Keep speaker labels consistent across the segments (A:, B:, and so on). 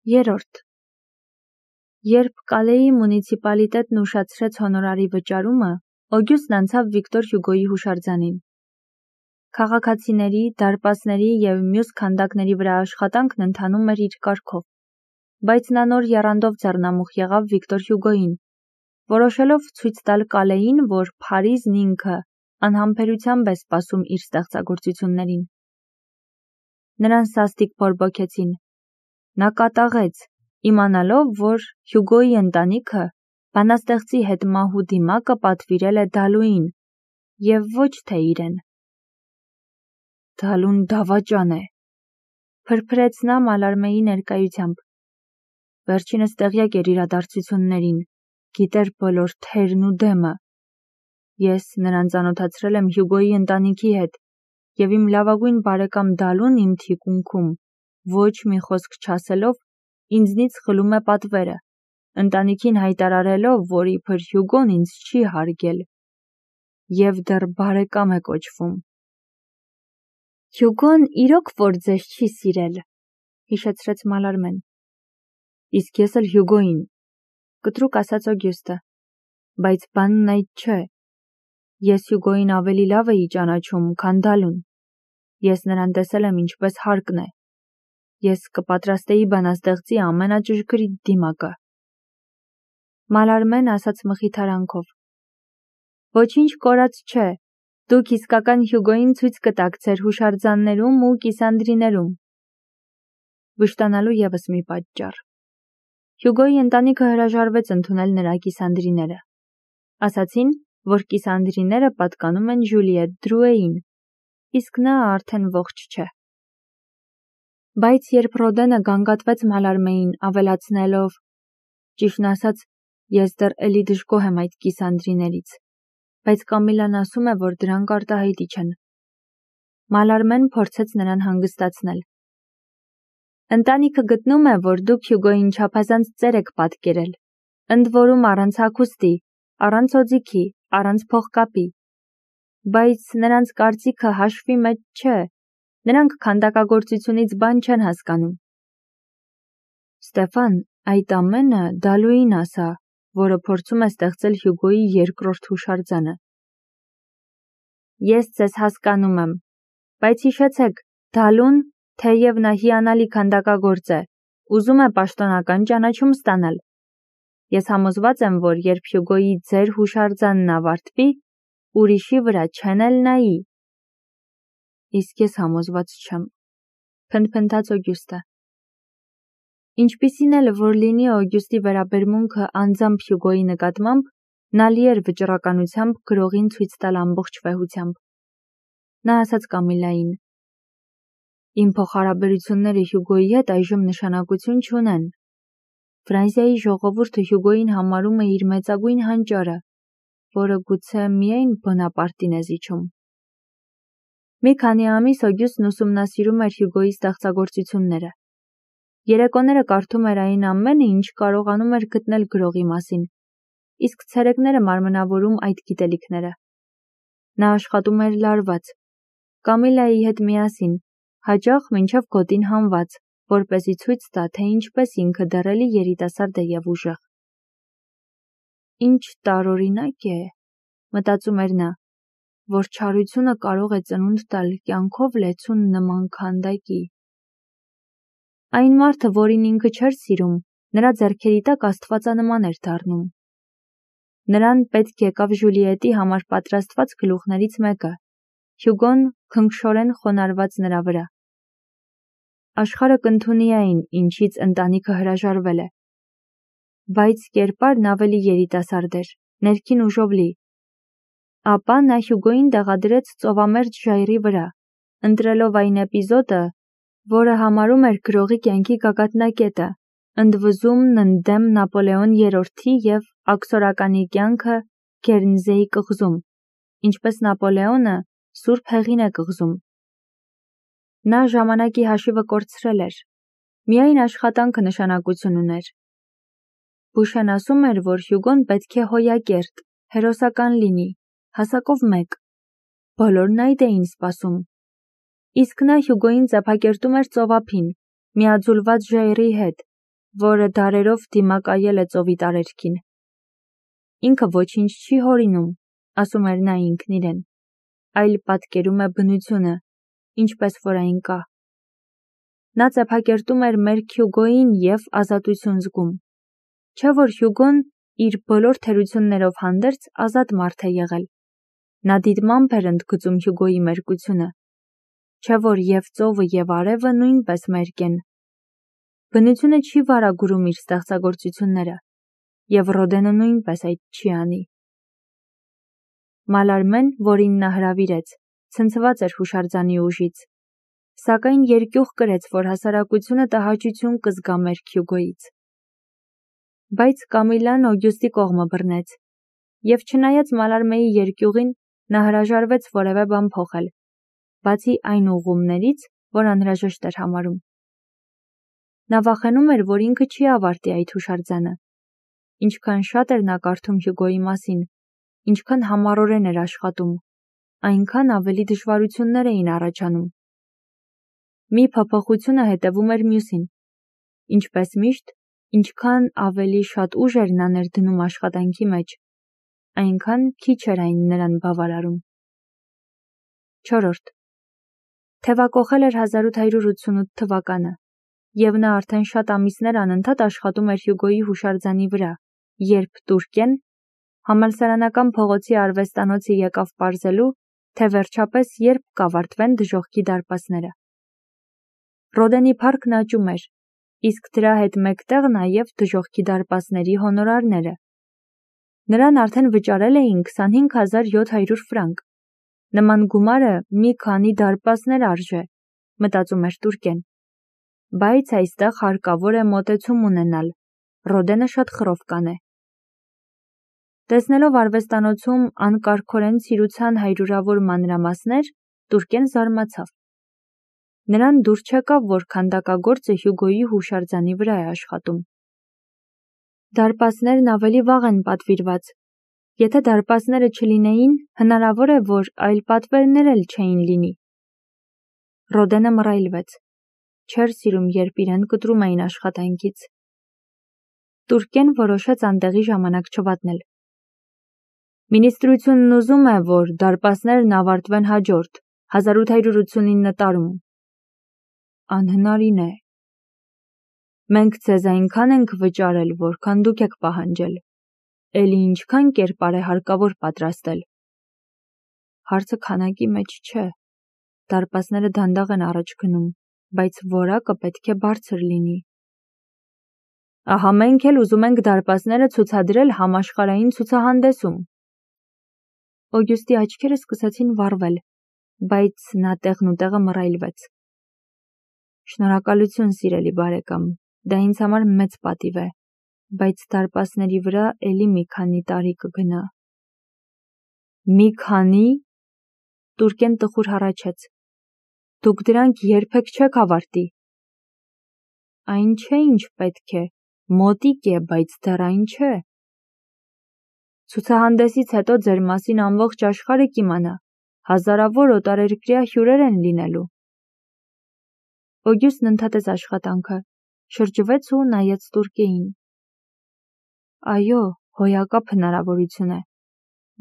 A: 3. Երբ Կալեի մունիցիպալիտետն ուշացրեց հոնորարի վճարումը, Օգյուստն անցավ Վիկտոր Հյուգոյի հուշարձանին։ Քաղաքացիների, դարպասների և մյուս քանդակների վրա աշխատանքն ընթանում էր իր կարգով, բայց նա նոր եռանդով ձեռնամուխ եղավ Վիկտոր Հյուգոյին, որոշելով ցույց տալ Կալեին, որ Փարիզն ինքը անհամբերությամբ է սպասում իր ստեղծագործություններին։ Նրան սաստիկ բորբոքեցին։ Նա կատաղեց, իմանալով, որ Հյուգոյի ընտանիքը բանաստեղծի հետ մահու դիմակը պատվիրել է Դալուին և ոչ թե իրեն։ Դալուն դավաճան է, փրփրեց նա Մալարմեի ներկայությամբ։ Վերջինս տեղյակ էր իրադարձություններին, գիտեր բոլոր թերն ու դեմը։ Ես նրան ծանոթացրել եմ Հյուգոյի ընտանիքի հետ, և իմ լավագույն բարեկամ Դալուն իմ թիկունքում, ոչ մի խոսք չասելով, ինձնից խլում է պատվերը, ընտանիքին հայտարարելով, որ իբր Հյուգոն ինձ չի հարգել և դեռ բարեկամ է կոչվում։ Հյուգոն իրոք որ ձեզ չի սիրել, հիշեցրեց Մալարմեն։ Իսկ ես էլ Հյուգոյին, կտրուկ ասաց Օգյուստը, բայց բանն այդ չէ։ Ես Հյուգոյին ավելի լավ էի ճանաչում, քան Դալուն։ Ես նրան տեսել եմ ինչպես հարկն է։ Ես կպատրաստեի բանաստեղծի ամենաճշգրիտ դիմակը։ Մալարմեն ասաց մխիթարանքով. Ոչինչ կորած չէ, դուք իսկական Հյուգոյին ցույց կտաք ձեր հուշարձաններում ու կիսանդրիներում։ Վշտանալու ևս մի պատճառ։ Հյուգոյի ընտանիքը հրաժարվեց ընդունել նրա կիսանդրիները։ Ասացին, որ կիսանդրիները պատկանում են Ժուլիետ Դրուեին, իսկ նա արդեն ողջ չէ։ Բայց երբ Ռոդենը գանգատվեց Մալարմեին, ավելացնելով. Ճիշտն ասած, ես դեռ էլի դժգոհ եմ այդ կիսանդրիներից, բայց Կամիլան ասում է, որ դրանք արտահայտիչ են։ Մալարմեն փորձեց նրան հանգստացնել։ Ընտանիքը գտնում է, որ դուք Հյուգոյին չափազանց ծեր եք պատկերել, ընդ որում առանց հագուստի, առանց օձիքի, առանց փողկապի։ Բայց նրանց կարծիքը հաշվի մեջ չէ, նրանք քանդակագործությունից բան չեն հասկանում։ Ստեֆան, այդ ամենը Դալուին ասա, որը փորձում է ստեղծել Հյուգոյի երկրորդ հուշարձանը։ Ես ձեզ հասկանում եմ, բայց հիշեցեք, Դալուն, թեև նա հիանալի քանդակագործ է, ուզում է պաշտոնական ճանաչում ստանալ։ Ես համոզված եմ, որ երբ Հյուգոյի ձեր հուշարձանն ավարտվի, ուրիշի վրա չեն էլ նայի։ Իսկ ես համոզված չեմ, փնթփնթաց Օգյուստը։ Ինչպիսին էլ որ լինի Օգյուստի վերաբերմունքը անձամբ Հյուգոյի նկատմամբ, նա լի էր վճռականությամբ գրողին ցույց տալ ամբողջ վեհությամբ։ Նա ասաց Կամիլային. Իմ փոխհարաբերությունները Հյուգոյի հետ այժմ նշանակություն չունեն։ Ֆրանսիայի ժողովուրդը Հյուգոյին համարում է իր մեծագույն հանճարը, որը գուցե միայն Բոնապարտին է զիջում։ Մի քանի ամիս Օգյուստն ուսումնասիրում էր Հյուգոյի ստեղծագործությունները։ Երեկոները կարդում էր այն ամենը, ինչ կարողանում էր գտնել գրողի մասին, իսկ ցերեկները մարմնավորում այդ գիտելիքները։ Նա աշխատում էր լարված, Կամիլայի հետ միասին, հաճախ մինչև գոտին հանված, որպեսզի ցույց տա, թե ինչպես ինքը դեռ էլի երիտասարդ է և ուժեղ։ Ինչ տարօրինակ է, մտածում էր նա, որ չարությունը կարող է ծնունդ տալ կյանքով լեցուն նման քանդակի։ Այն մարդը, որին ինքը չէր սիրում, նրա ձեռքերի տակ աստվածանման էր դառնում։ Նրան պետք եկավ Ժուլիետի համար պատրաստված գլուխներից մեկը, Հյուգոն քնքշորեն խոնարհված նրա վրա։ Աշխարհը կընդունի այն, ինչից ընտանիքը հրաժարվել է։ Բայց կերպարն ավելի երիտասարդ էր, ներքին ուժով լի։ Ապա նա Հյուգոյին տեղադրեց ծովամերձ ժայռի վրա, ընտրելով այն էպիզոդը, որը համարում էր գրողի կյանքի գագաթնակետը, ընդվզումն ընդդեմ Նապոլեոն III-ի և աքսորականի կյանքը Գերնզեի կղզում, ինչպես Նապոլեոնը Սուրբ Հեղին է կղզում։ Նա ժամանակի հաշիվը կորցրել էր, միայն աշխատանքը նշանակություն ուներ։ Բուշեն ասում էր, որ Հյուգոն պետք է հոյակերտ, հերոսական լինի, հասակով մեկ։ Բոլորն այդ էին սպասում։ Իսկ նա Հյուգոյին ծափակերտում էր ծովափին, միաձուլված ժայռի հետ, որը դարերով դիմակայել է ծովի տարերքին։ Ինքը ոչինչ չի հորինում, ասում էր նա ինքն իրեն, այլ պատկերում է բնությունը, ինչպես որ այն կա։ Նա ծեփակերտում էր մեր Հյուգոյին և ազատություն զգում։ Չէ որ Հյուգոն իր բոլոր թերություններով հանդերձ ազատ մարդ է եղել։ Նա դիտմամբ էր ընդգծում Հյուգոյի մերկությունը։ Չէ որ և ծովը և արևը նույնպես մերկ են։ Բնությունը չի վարագուրում իր ստեղծագործությունները, և Ռոդենը նույնպես այդ չի անի։ Մալարմեն, որին նա հրավիրեց, ցնցված էր հուշարձանի ուժից, սակայն երկյուղ կրեց, որ հասարակությունը տհաճություն կզգա մեր Հյուգոյից։ Բայց Կամիլան Օգյուստի կողմը բռնեց, և չնայած Մալարմեի երկյուղին, նա հրաժարվեց որևէ բան փոխել, բացի այն ուղղումներից, որ անհրաժեշտ էր համարում։ Նա վախենում էր, որ ինքը չի ավարտի այդ հուշարձանը։ Ինչքան շատ էր նա կարդում Հյուգոյի մասին, ինչքան համառորեն էր աշխատում, այնքան ավելի դժվարություններ էին առաջանում։ Մի փոփոխությունը հետևում էր մյուսին։ Ինչպես միշտ, ինչքան ավելի շատ ուժ էր նա ներդնում աշխատանքի մեջ, այնքան քիչ էր այն նրան բավարարում։ 4. Թևակոխել էր 1888 թվականը, և նա արդեն շատ ամիսներ անընդհատ աշխատում էր Հյուգոյի հուշարձանի վրա, երբ Տուրկեն համալսարանական փողոցի արվեստանոցը եկավ պարզելու, թե վերջապես երբ կավարտվեն դժոխքի դարպասները։ Ռոդենի փառքն աճում էր, իսկ դրա հետ մեկտեղ նաև դժոխքի դարպասների հոնորարները։ Նրան արդեն վճարել էին 25700 ֆրանկ։ Նման գումարը մի քանի դարպասներ արժե, մտածում էր Տուրկեն։ Բայց այստեղ հարկավոր է մոտեցում ունենալ, Ռոդենը շատ խռով կանե։ Տեսնելով արվեստանոցում անկարգորեն ցիրուցան հայրուրավոր մանրամասներ, Տուրկեն զարմացավ։ Նրան դուր չեկավ, որ քանդակագործը Հյուգոյի հուշարձանի վրա է աշխատում։ Դարպասներն ավելի վաղ են պատվիրված։ Եթե դարպասները չլինեին, հնարավոր է, որ այլ պատվերներ էլ չէին լինի։ Ռոդենը մռայլվեց։ Չէր սիրում, երբ իրեն կտրում էին աշխատանքից։ Տուրկեն որոշեց անտեղի ժամանակ չվատնել։ Մինիստրությունն ուզում է, որ դարպասներն ավարտվեն հաջորդ 1889 տարում։ Անհնարին է։ Մենք ձեզ այնքան ենք վճարել, որքան դուք եք պահանջել։ Էլի ինչքան կերպար է հարկավոր պատրաստել։ Հարցը քանակի մեջ չէ։ Դարպասները դանդաղ են առաջ գնում, բայց որակը պետք է բարձր լինի։ Ահա մենք էլ ուզում ենք դարպասները ցուցադրել համաշխարհային ցուցահանդեսում։ Օգյուստի աչքերը սկսեցին վառվել, բայց նա տեղնուտեղը մռայլվեց։ Շնորհակալություն, սիրելի բարեկամ, դա ինձ համար մեծ պատիվ է, բայց դարպասների վրա էլի մի քանի տարի կգնա։ Մի քանի։ Տուրկեն տխուր հառաչեց։ Դուք դրանք երբեք չեք ավարտի։ Այն չէ, ինչ պետք է, մոտիկ է, բայց դեռ այն չէ։ Ցուցահանդեսից հետո ձեր մասին ամբողջ աշխարհը կիմանա, հազարավոր օտարերկրյա հյուրեր են լինելու։ Օգյուստն ընդհատեց աշխատանքը, շրջվեց ու նայեց Տուրկեին։ Այո, հոյակապ հնարավորություն է,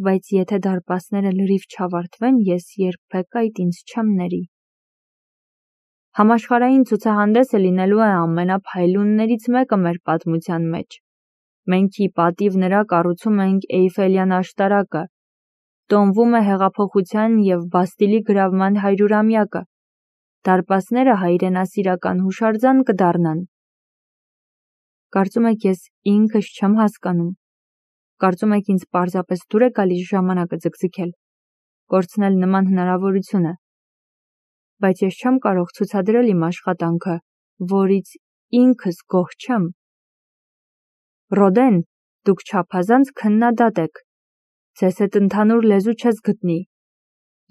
A: բայց եթե դարպասները լրիվ չավարտվեն, ես երբեք այդ ինձ չեմ ների։ Համաշխարհային ցուցահանդեսը լինելու է ամենափայլուններից մեկը մեր պատմության մեջ։ Մենք ի պատիվ նրա կառուցում ենք Էյֆելյան աշտարակը, տոնվում է հեղափոխության և Բաստիլի գրավման 100-ամյակը, դարպասները հայրենասիրական հուշարձան կդառնան։ Կարծում եք ես ինքս չեմ հասկանում։ Կարծում եք ինձ պարզապես դուր է գալիս ժամանակը ձգձգել, կորցնել նման հնարավորությունը։ Բայց ես չեմ կարող ցուցադրել իմ աշխատանքը, որից ինքս գոհ չեմ։ Ռոդեն, դուք չափազանց քննադատ եք։ Ձեզ հետ ընդհանուր լեզու չես գտնի։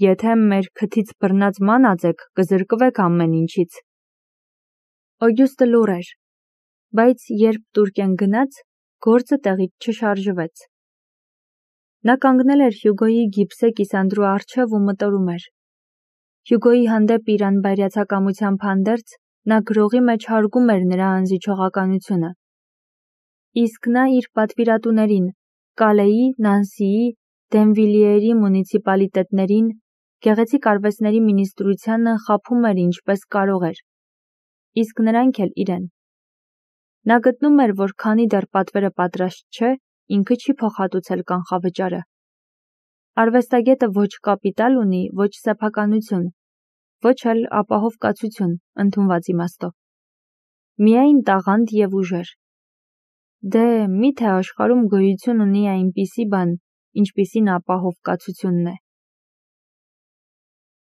A: Եթե մեր քթից բռնած մանած եք, կզրկվեք ամեն ինչից։ Օգյուստը լուռ էր, բայց երբ Տուրկեն գնաց, գործը տեղից չշարժվեց։ Նա կանգնել էր Հյուգոյի գիպսե կիսանդրու առջև ու մտորում էր։ Հյուգոյի հանդեպ իր անբայրացակամությամբ հանդերձ, Նա գրողի մեջ հարգում էր նրա անզիջողականությունը։ Իսկ նա իր պատվիրատուներին՝ Կալեի, Նանսիի, Դենվիլիերի մունիցիպալիտետներին, գեղեցիկ արվեստների մինիստրությանը խաբում էր ինչպես կարող էր։ Իսկ նրանք էլ իրեն։ Նա գտնում էր, որ քանի դեռ պատվերը պատրաստ չէ, ինքը չի փոխհատուցել կանխավճարը։ Արվեստագետը ոչ կապիտալ ունի, ոչ սեփականություն, ոչ էլ ապահով կացություն, ընդունված իմաստով։ Միայն տաղանդ և ուժեր։ Դե, միթե աշխարհում գոյություն ունի այնպիսի բան, ինչպիսին ապահով կացությունն է։